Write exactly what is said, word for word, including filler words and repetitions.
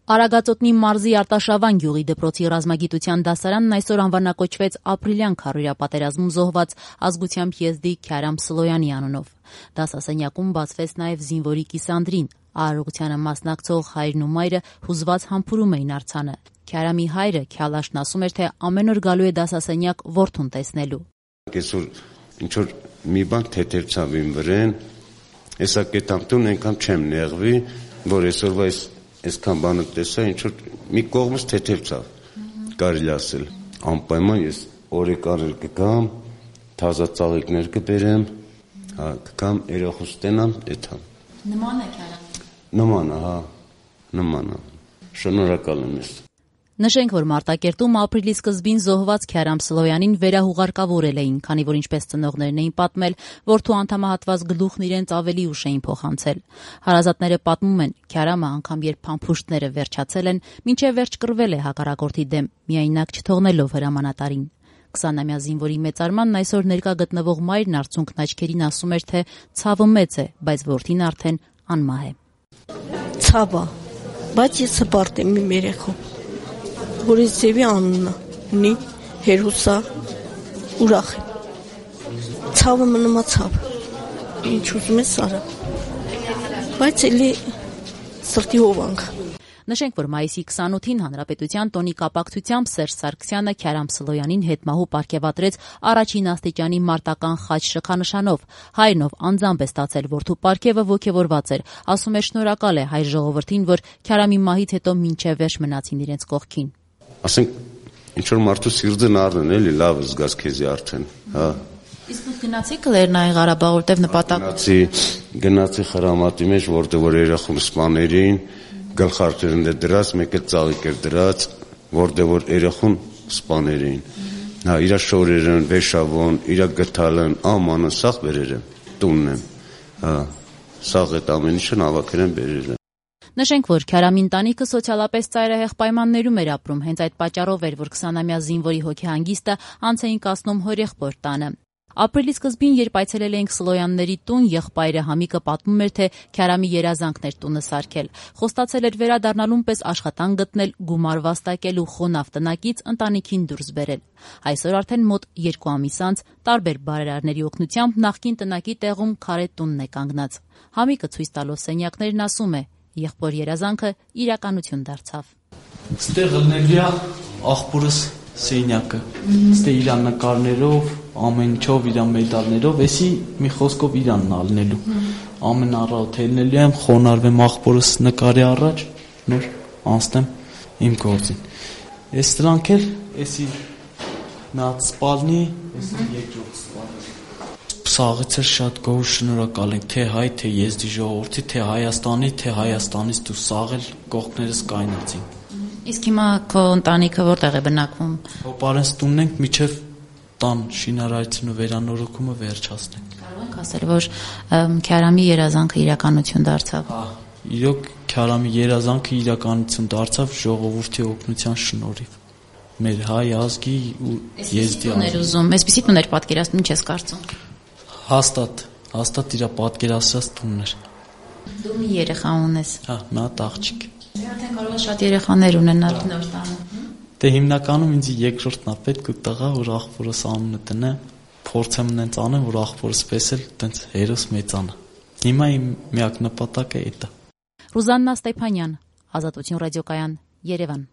Արագածոտնի մարզի Արտաշավան գյուղի դպրոցի ռազմագիտության դասարանն այսօր անվանակոչվեց ապրիլյան քարոզիա պատերազմում զոհված ազգությամբ եզդի Քյարամ Սլոյանի անունով։ Դասասենյակում բացվեց նաև զինվորի կիսանդրին։ Արարողությանը մասնակցող հայրն ու մայրը հուզված համբուրում էին արձանը։ Քյարամի հայրը Քյալաշն ասում էր, թե ամեն օր գալու է դասասենյակ որդուն տեսնելու։ Այսօր ինչ որ մի բան թեթևացավ իմ վրեն, հեսա կետամտուն այնքան չեմ նեղվի, որ այսօրվա այս այսքան բանը տեսա, ինչ որ մի կողմից թեթևացավ, կարելի ասել։ Անպայման ես օրեկաներ կգամ, թազա ծաղիկներ կբերեմ, հա, կգամ երախուս տենամ, էթամ։ Նման է Քյարամին։ Նման է, հա, նման է։ Շնորհակալ եմ ես։ Նշենք, որ Մարտակերտում ապրիլի սկզբին զոհված Քյարամ Սլոյանին վերահուղարկավորել էին, քանի որ ինչպես ծնողներն էին պատմել, որդու անդամահատված գլուխն իրենց ավելի ուշ էին փոխանցել։ Հարազատները պատմում են, Քյարամը անգամ երբ փամփուշտները վերջացել են, մինչև վերջ կռվել է հակառակորդի դեմ, միայնակ չթողնելով հրամանատարին։ քսանամյա զինվորի մեծարմանն այսօր ներկա գտնվող մայրն արցունքն աչքերին ասում էր, թե ցավը մեծ է, բայց որդին արդեն անմահ է։ Ցավը, բայց ես հպարտ եմ իմ երեխու։ Որ ես ձևի անունը ունի, հերուսա, ուրախ եմ։ Ցավը մնում է ցավ, ինչ ուզում ես արա, բայց էլի սրտի հովանք։ Նշենք, որ մայիսի քսանութին Հանրապետության տոնի կապակցությամբ Սերժ Սարգսյանը Քյարամ Սլոյանին հետմահու պարգևատրեց առաջին աստիճանի մարտական խաչ շքանշանով։ Հայրն, ով անձամբ է ստացել որդու պարգևը, ոգևորված էր, ասում է շնորհակալ է հայ ժողովրդին, որ Քյարամի մահից հետո մինչև վերջ մնացին իրենց կողքին։ Ասենք, ինչ որ մարդու սիրտը նարն էլի, լավ զգաս քեզի արդեն, հա։ Իսկ դուք գնացիք Լեռնային Ղարաբաղ, որտեղ նպատակ։ Գնացի, գնացի խրամատի մեջ, որտեղ որ երախում սպաներին, գլխարկերն է դրած, մեկը ծաղիկ էր դրած, որտեղ որ երախուն սպաներին։ Հա, իրա շորերն, վեշավոն, իրա գթալն, ամանը սաղ բերեր եմ, տունն եմ, հա, սաղ այդ ամեն ինչն ավակեր եմ բերեր եմ։ Նշենք, որ Քյարամի ընտանիքը սոցիալապես ծայրահեղ պայմաններում էր ապրում, հենց այդ պատճառով էր, որ քսանամյա զինվորի հոգեհանգիստը անց էին կացնում հորեղբոր տանը։ Ապրիլի սկզբին, երբ այցելել էինք Սլոյանների տուն, եղբայրը Համիկը պատմում էր, թե Քյարամի երազանքն էր տունը սարքել։ Խոստացել էր վերադառնալուն պես աշխատանք գտնել, գումար վաստակել ու խոնավ տնակից ընտանիքին դուրս բերել։ Այսօր արդեն մոտ երկու ամիս անց տարբեր բարերարների օգնությամբ նախկին տնակի տեղում քարե տունն է կանգնած։ Համիկը ցույց տալով սենյակներն ասում է, եղբոր երազանքը իրականություն դարձավ։ Ստեղ լնելի է աղբորս սենյակը, ստե իր նկարներով, ամեն ինչով, իր մեդալներով, էսի մի խոսքով իրանն ալնելու։ Ամեն առավոտ ելնելու եմ, խոնարհվեմ աղբորս նկարի առաջ, նոր անցնեմ իմ գործին։ Այս դրանք էլ, էսի նա սպալնի, էսի երկրորդ սպալնի։ Սաղից էր շատ գոհ շնորհակալ ենք, թե հայ, թե եզդի ժողովրդի, թե Հայաստանի, թե Հայաստանից դու սաղել կողքներս կայնացին։ Իսկ հիմա քո ընտանիքը որտեղ է բնակվում։ Հոպարենց տունն ենք, միջև տան շինարարությունն ու վերանորոգումը վերջացնենք։ Կարող ենք ասել, որ Քյարամի երազանքը իրականություն դարձավ։ Հա, իրոք Քյարամի երազանքը իրականություն դարձավ ժողովրդի օգնության շնորհիվ։ Մեր հայ ազգի ու եզդի ազգի։ Այսպիսի տուներ պատկերացնում, ինչ ես կարծում։ Հաստատ, հաստատ իր պատկերացրած տունն էր։ Դու մի երեխա ունես։ Հա, մի հատ աղջիկ։ Արդեն կարող ես շատ երեխաներ ունենալ նոր տանը։ Դե հիմնականում ինձ երկրորդն է պետք ու տղա, որ աղբորս անունը տնեմ, փորձեմ նենց անեմ, որ աղբորս պես էլ տենց հերոս մեծանա։ Հիմա իմ միակ նպատակը է դա։ Ռուզաննա Ստեփանյան, Ազատություն ռադիոկայան, Երևան։